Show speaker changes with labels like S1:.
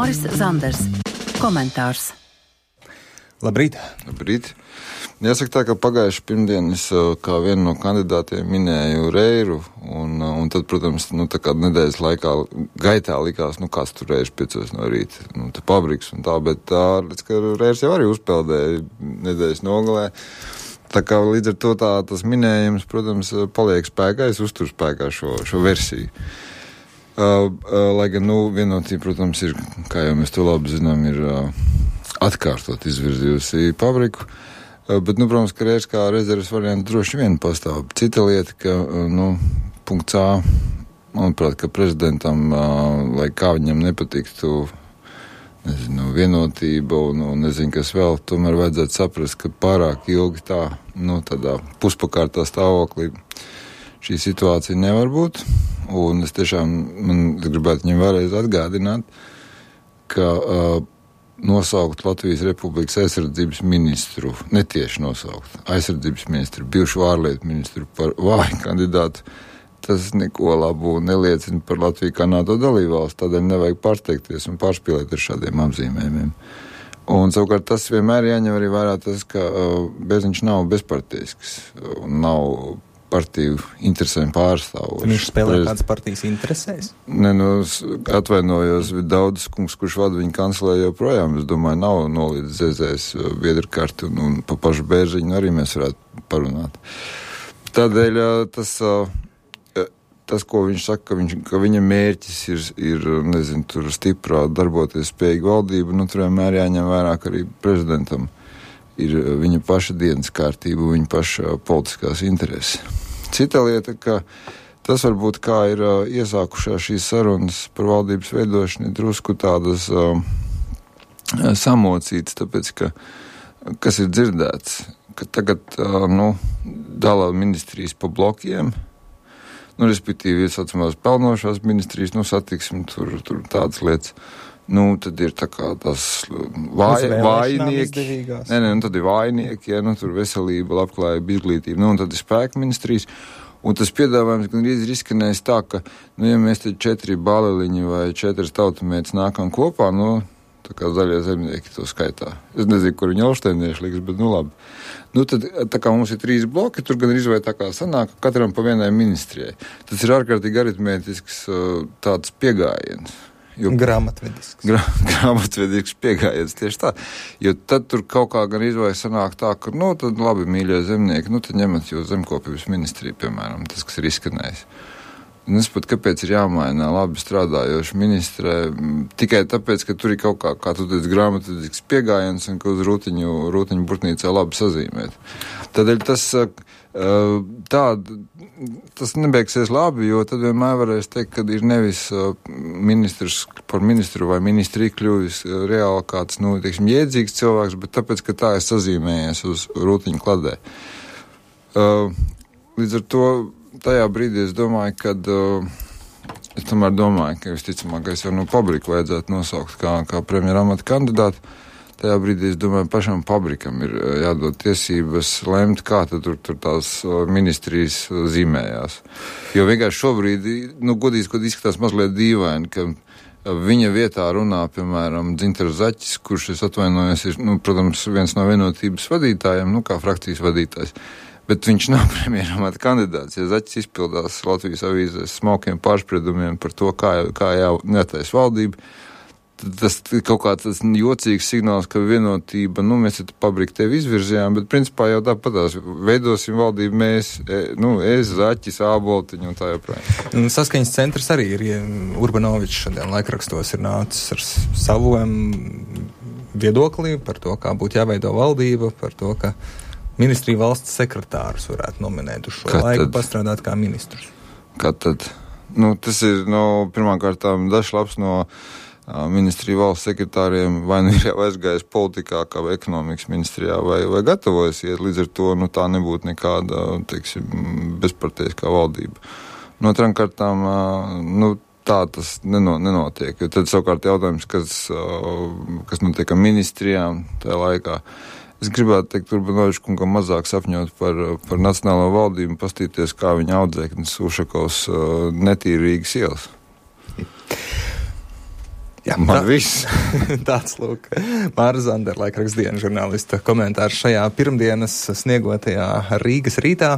S1: Māris Zanders. Komentārs.
S2: Labrīt.
S3: Labrīt. Jāsaka tā, ka pagājuši pirmdien es kā vienu no kandidātiem minēju Reiru, un tad, protams, tā kā nedēļas gaitā likās, kāds tur Reirs 5 no rīta, te pabriks un tā, bet līdz, ka Reirs jau arī uzpeldēja nedēļas nogalē. Tā kā līdz ar to tas minējums, protams, paliek spēkā, es uzturu spēkā šo versiju. Lai gan, vienotība, protams, ir, kā jau mēs to labi zinām, ir atkārtot izvirzījusi pabriku. Bet, protams, ka Reirs kā rezerves variants droši vien pastāv. Cita lieta, ka, punkts A, manuprāt, ka prezidentam, lai kā viņam nepatiktu, vienotība un nezinu, kas vēl, tomēr vajadzētu saprast, ka pārāk ilgi tādā puspakārtā stāvoklī šī situācija nevar būt. Un es tiešām gribētu viņam vēlreiz atgādināt, ka nosaukt Latvijas Republikas aizsardzības ministru, netieši nosaukt aizsardzības ministru, bijušu ārlietu ministru par vāju kandidātu, tas neko labu neliecina par Latviju kā NATO dalībvalsts, tādēļ nevajag pārsteigties un pārspīlēt ar šādiem apzīmējumiem. Un savukārt tas vienmēr jāņem arī vērā tas, ka Bērziņš nav bezpartijisks un nav partiju interesēm pārstāvošs.
S2: Viņš spēlē kādas partijas interesēs?
S3: Atvainojos, daudz kungs, kurš vada viņa kancelē joprojām, es domāju, nav nolīdz zēzēs biedru karti un pa pašu Bērziņu arī mēs varētu parunāt. Tādēļ tas, ko viņš saka, ka viņa mērķis ir tur stiprā darboties spējīga valdība, tur vienmēr jāņem vērā, ka arī prezidentam ir viņa paša dienas kārtība, viņa paša politiskās intereses. Cita lieta, ka tas varbūt kā ir iesākušās šīs sarunas par valdības veidošanu, ir drusku tādas samocītas, tāpēc, ka kas ir dzirdēts, ka tagad dala ministrijas pa blokiem, respektīvi iesaucamās pelnošās ministrijas, satiksim, tur tādas lietas. Tad ir tā kā tas vājnieki. Tad ir vājnieki, tur veselība, labklājība, izglītība, un tad ir spēka ministrijas. Un tas piedāvājums gandrīz ir izskanējis tā, ka, ja mēs te 4 baleliņi vai 4 tautamietis nākam kopā, tā kā zaļie zemnieki to skaitā. Es nezinu, kur viņi olšteinieši liks, bet labi. Tad, tā kā mums ir 3 bloki, tur gan izvēl tā kā sanāk, katram pa vienai ministrijai. Tas ir ārkārtīgi aritmētisks tāds piegājiens.
S2: Grāmatvedisks.
S3: Grāmatvedisks piegājiens, tieši tā. Jo tad tur kaut kā gan izvēles sanāk tā, ka, tad labi, mīļie zemnieki, tad ņemat jūs zemkopības ministriju, piemēram, tas, kas ir izskanējis. Un es pat, kāpēc ir jāmaina labi strādājoši ministrē, tikai tāpēc, ka tur ir kaut kā tu teici, grāmatvedisks piegājiens un ka uz rūtiņu burtnīcā labi sazīmēt. Tādēļ tas nebeigsies labi, jo tad vienmēr varēs teikt, ka ir nevis ministrs par ministru vai ministriju kļuvis reāli kāds, jēdzīgs cilvēks, bet tāpēc, ka tā ir sazīmējies uz rūtiņu kladē. Līdz ar to tajā brīdī es domāju, ka visticamākais jau pabriku vajadzētu nosaukt kā premjera amata kandidātu. Tajā brīdī, es domāju, pašam pabrikam ir jādod tiesības lemt, kā tad tur tās ministrijas zīmējās. Jo vienkārši šobrīd, godīgi izskatās mazliet dīvaini, ka viņa vietā runā, piemēram, Dzintars Zaķis, kurš, es atvainojos, ir, protams, viens no vienotības vadītājiem, kā frakcijas vadītājs. Bet viņš nav premjera amata kandidāts. Ja Zaķis izpildās Latvijas avīzēs smalkiem pārspriedumiem par to, kā jātaisa valdība, tas kaut kāds tas jocīgs signāls, ka vienotība, mēs te pabriku tevi izvirzījām, bet principā jau tāpatās veidosim valdību mēs, es, Zaķis, Āboltiņu un tā joprojām.
S2: Saskaņas centrs arī ir, Urbanovičs šodien laikrakstos ir nācis ar saviem viedoklī par to, kā būtu jāveido valdība, par to, ka ministrija valsts sekretārus varētu nominēt uz šo laiku, pastrādāt kā ministrus.
S3: Kā tad? Tas ir, pirmkārtām dažs labs no ministrija valsts sekretāriem vai ir jau aizgājis politikā, kā vai ekonomikas ministrijā, vai gatavojas iet, līdz ar to, tā nebūtu nekāda, bezparteiskā valdība. No otram kārtām, tā tas nenotiek, jo tad savukārt jautājums, kas notiek ar ministrijām tajā laikā. Es gribētu teikt, Urbanovičs kungam mazāk sapņot par nacionālo valdību un pastīties, kā viņa audzēknis Ušakovs netīrīgas ielas.
S2: Jā,
S3: man viss.
S2: Tāds, lūk, Māra Zandera, laikraksta dienas žurnālista komentārs šajā pirmdienas sniegotajā Rīgas rītā.